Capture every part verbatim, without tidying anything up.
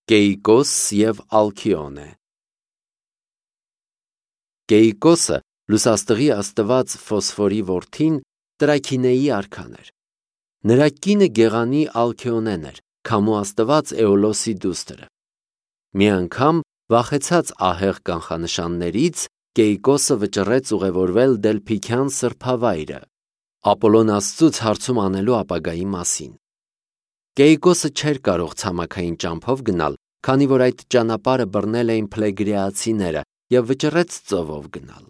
Կեիկոս և Ալքիոնե։ Կեիկոսը լուսաստղի աստված Ֆոսֆորի որդին Տրաքինեի արքան էր։ Նրա կինը գեղանի Ալքիոնեն էր, քամու աստված Էոլոսի դուստրը։ Մի անգամ, վախեցած ահեղ կանխանշաններից, Կեիկոսը վճռեց ուղևորվել Դելփիքյան սրբավայրը, Ապոլոն աստծուց հարցում անելու ապագայի մասին։ Կեիկոսը չէր կարող ցամաքային ճամփով գնալ, քանի որ այդ ճանապարհը բռնել էին փլեգրեացիները, և վճռեց ծովով գնալ։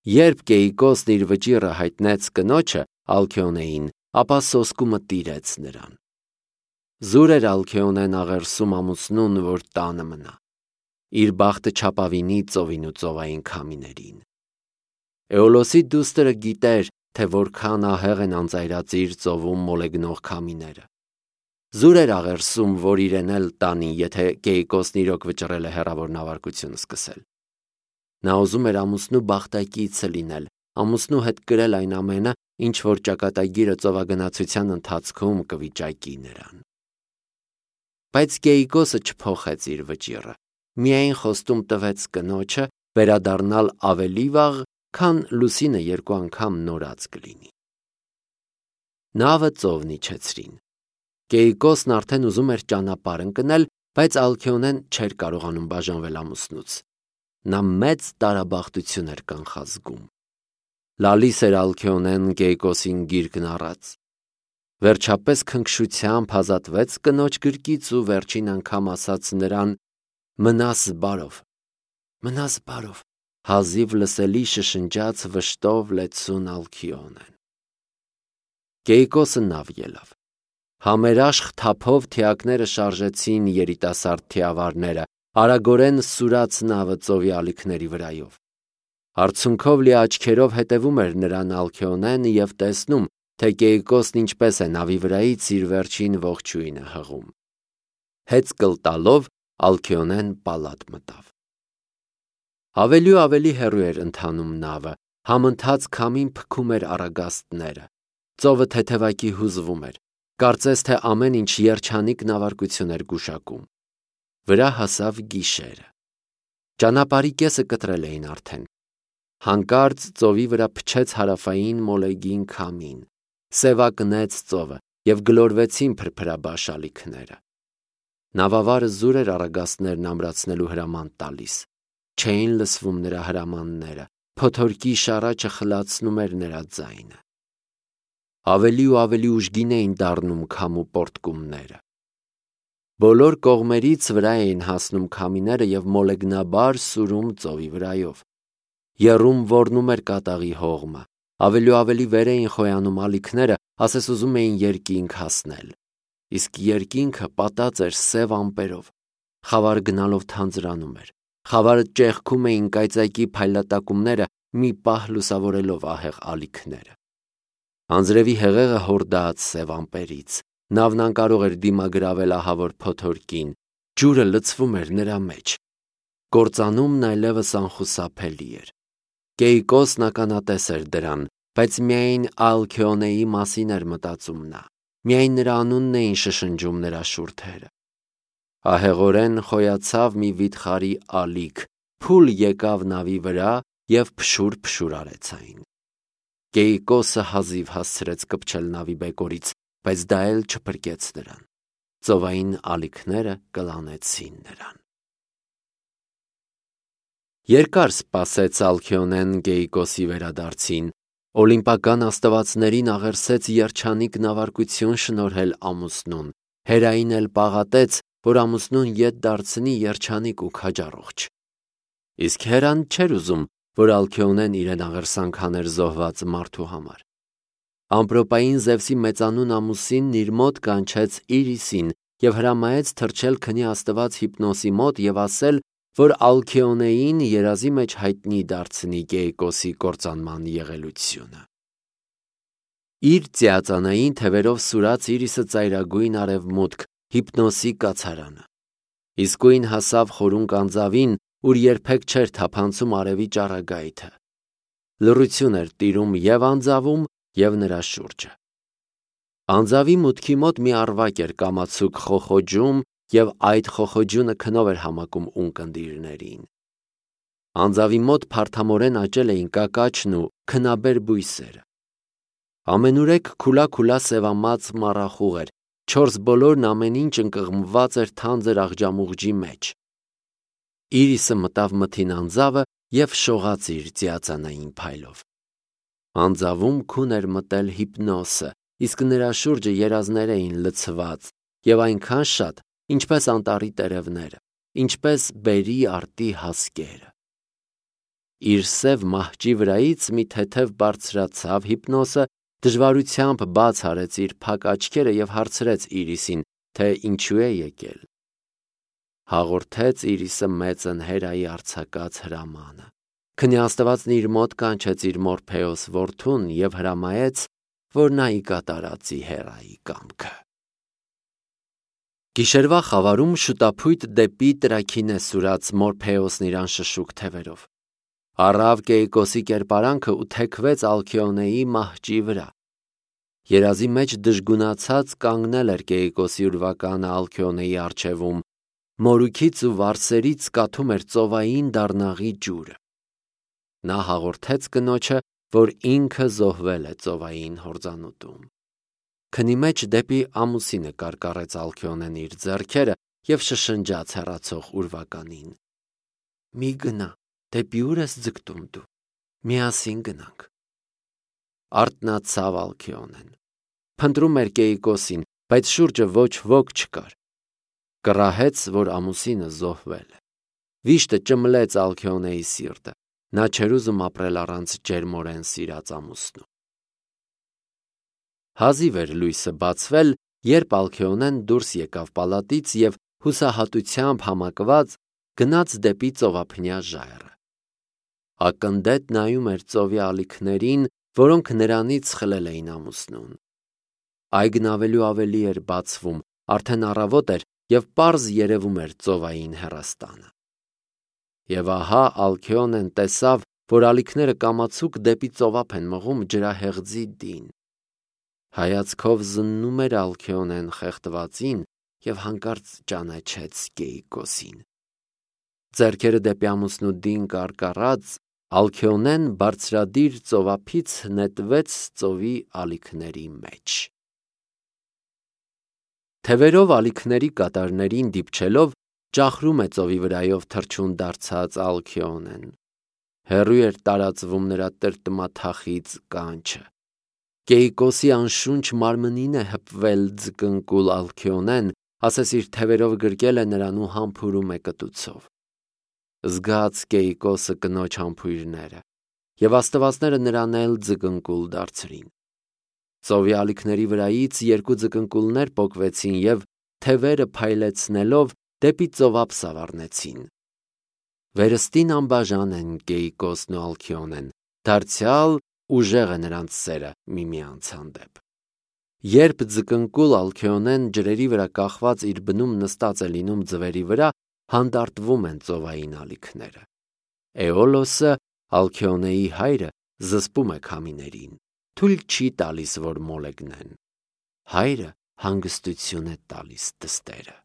Երբ Կեիկոսն իր վճիռը հայտնեց կնոջը Ալքիոնեին, ապա սոսկումը տիրեց նրան։ Զուր էր Ալքիոնեն աղերսում ամուսնուն, որ տանը մնա։ Իր բախտը չապավինի ծովին ու ծովային քամիներին։ Էոլոսի դուստրը գիտեր, թե որքան ահեղ են անծայրածիր ծովում մոլեգնող քամիները։ Զուր էր աղերսում, որ իրեն էլ տանի, եթե Կեիկոսն իրոք վճռել է հեռավոր նավարկություն սկսել։ Նա ուզում էր ամուսնու բախտակիցը լինել, ամուսնու հետ կրել այն ամենը, ինչ որ ճակատագիրը ծովագնացության ընթացքում կվիճակի նրան։ Բայց Կեիկոսը չփոխեց իր վճիռը, միայն խոստում տվեց կնոջը վերադառնալ ավելի վաղ, քան լուսինը երկու անգամ նորած կլինի։ Նավը ծովն իջեցրին։ Կեիկոսն արդեն ուզում էր ճանապարհ ընկնել, բայց Ալքիոնեն չէր կարողանում բաժանվել ամուսնուց։ Նա մեծ տարաբախտություն էր կանխազգում։ Լալիս էր Ալքիոնեն Կեիկոսին գիրկն առած։ Վերջապես քնքշությամբ ազատվեց կնոջ գրկից ու վերջին անգամ ասաց նրան. «Մնաս բարով, մնաս բարով», հազիվ լսելի շշնջաց վշտով լեցուն Ալքիոնեն։ Կեիկոսը նավ ելավ։ Համերաշխ թափով թիակները շարժեցին երիտասարդ թիավարները, արագորեն սուրաց նավը ծովի ալիքների վրայով։ Արցունքով լի աչքերով հետևում էր նրան Ալքիոնեն և տեսնում, թե Կեիկոսն ինչպես է նավի վրայից իր վերջին ողջույնը հղում։ Հեծկլ տալով Ալքիոնեն պալատ մտավ։ Ավելի ու ավելի հեռու էր ընթանում նավը, համընթաց քամին փքում էր առագաստները, ծովը թեթևակի հուզվում էր, կարծես թե ամեն ինչ երջանիկ նավարկություն էր գուշակում։ Վրա հասավ գիշերը։ Ճանապարհի կեսը կտրել էին արդեն։ Հանկարծ ծովի վրա փչեց հարավային մոլեգին քամին, սևակնեց ծովը և գլորվեցին փրփրաբաշ ալիքները։ Նավավարը զուր էր առագաստներն ամրացնելու հրաման տալիս։ Չէին լսվում նրա հրամանները, փոթորկի շառաչը խլացնում էր նրա ձայնը։ Ավելի ու ավելի ուժգին էին դառնում քամու պոռթկումները։ Բոլոր կողմերից վրա էին հասնում քամիները և մոլեգնաբար սուրում ծովի վրայով։ Եռում ոռնում էր կատաղի հողմը, ավելի ու ավելի վեր էին խոյանում ալիքները, ասես ուզում էին երկինք հասնել։ Իսկ երկինքը պատած էր սև ամպերով, խավարը գնալով թանձրանում էր, խավարը ճեղքում էին կայծակի փայլատակումները, մի պահ լուսավորելով ահեղ ալիքները։ Անձրևի հեղեղը հորդաց սև ամպերից, նավն անկարող էր դիմագրավել ահավոր փոթորկին, ջուրը լցվում էր նրա մեջ։ Կործանումն այլևս անխուսափելի էր։ Կեիկոսն ականատես էր դրան, բայց միայն Ալքիոնեի մասին էր մտածում նա, միայն նրա անունն էին շշնջում նրա շուրթերը։ Ահեղորեն խոյացավ մի վիթխարի ալիք, փուլ եկավ նավի վրա և փշուր-փշուր արեց այն։ Կեիկոսը հազիվ հասցրեց կպչել նավի բեկորից, բայց դա էլ չփրկեց նրան։ Ծովային ալիքները կլանեցին նրան։ Երկար սպասեց Ալքիոնեն Կեիկոսի վերադարձին, օլիմպական աստվածներին աղերսեց երջանիկ նավարկություն շնորհել ամուսնուն, Հերային էլ պաղատեց, որ ամուսնուն ետ դարձնի երջանիկ ու քաջառողջ։ Իսկ Հերան չէր ուզում, որ Ալքիոնեն իրեն աղերսանք աներ զոհված մարդու համար։ Ամպրոպային Զևսի մեծանուն ամուսինն իր մոտ կանչեց Իրիսին և հրամայեց թռչել քնի աստված Հիպնոսի մոտ և ասել, որ Ալքիոնեին երազի մեջ հայտնի դարձնի Կեիկոսի կործանման եղելությունը։ Իր ծիածանային թևերով սուրաց Իրիսը ծայրագույն արևմուտք, Հիպնոսի կացարանը։ Իսկույն հասավ խորունկ անձավին, ուր երբեք չէր թափանցում արևի ճառագայթը։ Լռություն էր տիրում և անձավում, և նրա շուրջը։ Անձավի մուտքի մոտ մի առվակ էր կամացուկ խոխոջում և այդ խոխոջյունը քնով էր համակում ունկնդիրներին։ Անձավի մոտ փարթամորեն աճել էին կակաչն ու քնաբեր բույսերը։ Ամենուրեք քուլա-քուլա սևամած մառախուղ էր, չորս բոլորն ամեն ինչ ընկղմված էր թանձր աղջամուղջի մեջ։ Իրիսը մտավ մթին անձավը և շողաց իր ծիածանային փայլով։ Անձավում քուն էր մտել հիպնոսը, իսկ նրա շուրջը երազներ էին լցված և այնքան շատ, ինչպես անտառի տերևները, ինչպես բերրի արտի հասկերը։ Իր սև մահճի վրայից մի թեթև բարձրացավ հիպնոսը, դժվարությամբ բաց արեց իր փակ աչքերը և հարցրեց Իրիսին, թե ինչու է եկել։ Հաղորդեց Իրիսը մեծն Հերայի արձակած հրամանը։ Քնի Աստվածն իր մոտ կանչեց իր Մորփեոս որդուն և հրամայեց, որ նա ի կատարածի Հերայի կամքը։ Գիշերվա խավարում շուտափույթ դեպի Տրաքինե սուրաց Մորփեոսն իր անշշուկ թևերով։ Առավ Կեիկոսի կերպարանքը ու թեքվեց Ալքիոնեի մահճի վրա։ Երազի մեջ դժգունացած կանգնել էր Կեիկոսի ուրվականը Ալքիոնեի առջևում, մորուքից ու վարսերից կաթում էր ծովային դառնաղի ջուրը։ Նա հաղորդեց կնոջը, որ ինքը զոհվել է ծովային հորձանուտում։ Քնի մեջ դեպի ամուսինը կարկառեց Ալքիոնեն իր ձեռքերը և շշնջաց հեռացող ուրվականին. «Մի գնա, դեպի ուր ես ձգտում դու, միասին գնանք»։ Արթնացավ Ալքիոնեն։ Փնտրում էր Կեիկոսին, բայց շուրջը ոչ ոք չկար։ Կռահեց, որ ամուսինը զոհվել է։ Վիշտը ճմլեց Ալքիոնեի սիրտը։ Նա չէր ուզում ապրել առանց ջերմորեն սիրած ամուսնու։ Հազիվ էր լույսը բացվել, երբ Ալքիոնեն դուրս եկավ պալատից և հուսահատությամբ համակված գնաց դեպի ծովափնյա ժայռը։ Ակնդետ նայում էր ծովի ալիքներին, որոնք նրանից խլել էին ամուսնուն։ Այգն ավելի ու ավելի էր բացվում, արդեն առավոտ էր և պարզ երևում էր ծովային հեռաստանը։ Եվ ահա Ալքիոնեն տեսավ, որ ալիքները կամացուկ դեպի ծովափ են մղում ջրահեղձի դին։ Հայացքով զննում էր Ալքիոնեն խեղդվածին և հանկարծ ճանաչեց Կեիկոսին։ Ձեռքերը դեպի ամուսնու դին կարկառած, Ալքիոնեն բարձրադիր ծովափից նետվեց ծովի ալիքների մեջ։ Թևերով ալիքների կատարներին դիպչելով, ճախրում է ծովի վրայով թռչուն դարձած Ալքիոնեն։ Հեռու էր տարածվում նրա տրտմաթախիծ կանչը։ Կեիկոսի անշունչ մարմնին է հպվել ձկնկուլ Ալքիոնեն, ասես իր թևերով գրկել է նրան ու համբուրում է կտուցով։ Զգաց Կեիկոսը կնոջ համբույրները, և աստվածները նրան էլ ձկնկուլ դարձրին։ Ծովի ալիքների վրայից երկու ձկնկուլներ պոկվեցին և, թևերը փայլեցնելով, դեպի ծովափ սավառնեցին։ Վերստին անբաժան են Կեիկոսն ու Ալքիոնեն, դարձյալ ուժեղ է նրանց սերը միմյանց հանդեպ։ Երբ ձկնկուլ Ալքիոնեն ջրերի վրա կախված իր բնում նստած է լինում ձվերի վրա, հանդարտվում են ծովային ալիքները։ Էոլոսը, Ալքիոնեի հայրը, զսպում է քամիներին, թույլ չի տալիս, որ մոլեգնեն։ Հայրը հանգստություն է տալիս դստերը։